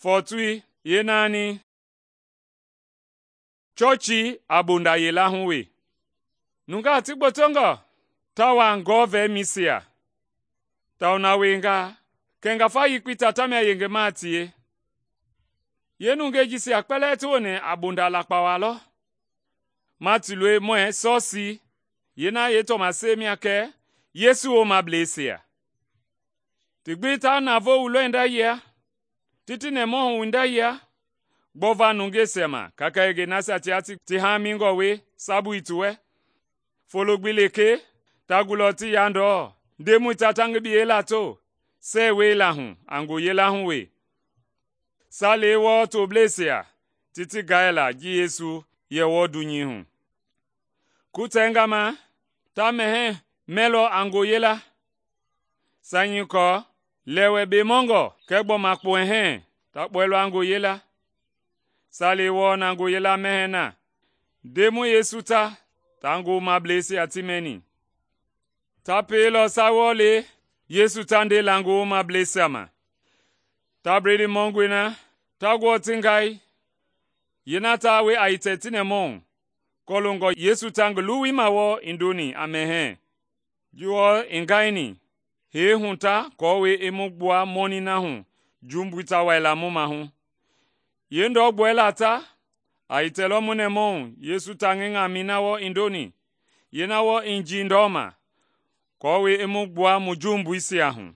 Fɔɔtui yeenaani. Chɔɔchii a bonda yila hu we. Nungaa ti gbotongɔ ta wa gɔɔ-vɛmisia, tawao na wiengaa, kɛ ngafa yekpei ta tamia yengema a tie. Yeenungei jisia kpɛlɛɛ ti woni a bonda lakpa waa lɔ. Ma ti loi muɛɛ sɔsii, yeena yeetɔmasɛi mia kɛ Yesu woomableisia. Ti gbi ta navoo wuilɔ yia, ti ti nɛmahu hinda yia, gbɔva nungeisia ma kaka-yengei nasia tia ti haamingɔ we sabui ti wɛ. Folo gbi lekee, ta gulɔ ti ya ndɔɔ, Ndemɔi ta ta ngi biyɛi lato, sɛɛwei hu a ngoyila hu we. Salei wɔɔ tobleisia ti ti gɛɛla ji Yesu yɛ wɔɔ dunyei hu. Kutɛnga ma, ta mɛhɛɛ mɛlɔ a ngoyila. Sanyie kɔɔ lɛwɛ bemɔngɔ kɛɛ gbɔma kpɔhɛɛ ta kpɔɛilɔ a ngoyila. Salei wɔɔ na ngoyila mɛhɛɛ na, Ndemɔi Yesu ta ngoomableisia ti mɛni. Ta pielɔ sawɔlei Yesu ta ndela ngoomableisia ma. Ta bledii mɔngɔi na, ta guɔ ti ngai. Yeena ta we a hitɛ ti nɛmahu, kɔloongɔ Yesu ta ngi luwui ma wɔɔ i ndoni a mɛhɛɛ. Ji wɔɔ i ngaini, hee hu ta aako i mu gbua mɔnii na hu jumbui ta waila mu mahu. Yeendɔgbɔɛla ta, a hitɛlɔ mu nɛmahu Yesu ta ngi ŋamɛi na wɔɔ i ndoni, yeena wɔɔ i njii ndɔma, aako i mu gbua mu jumbuisia hu.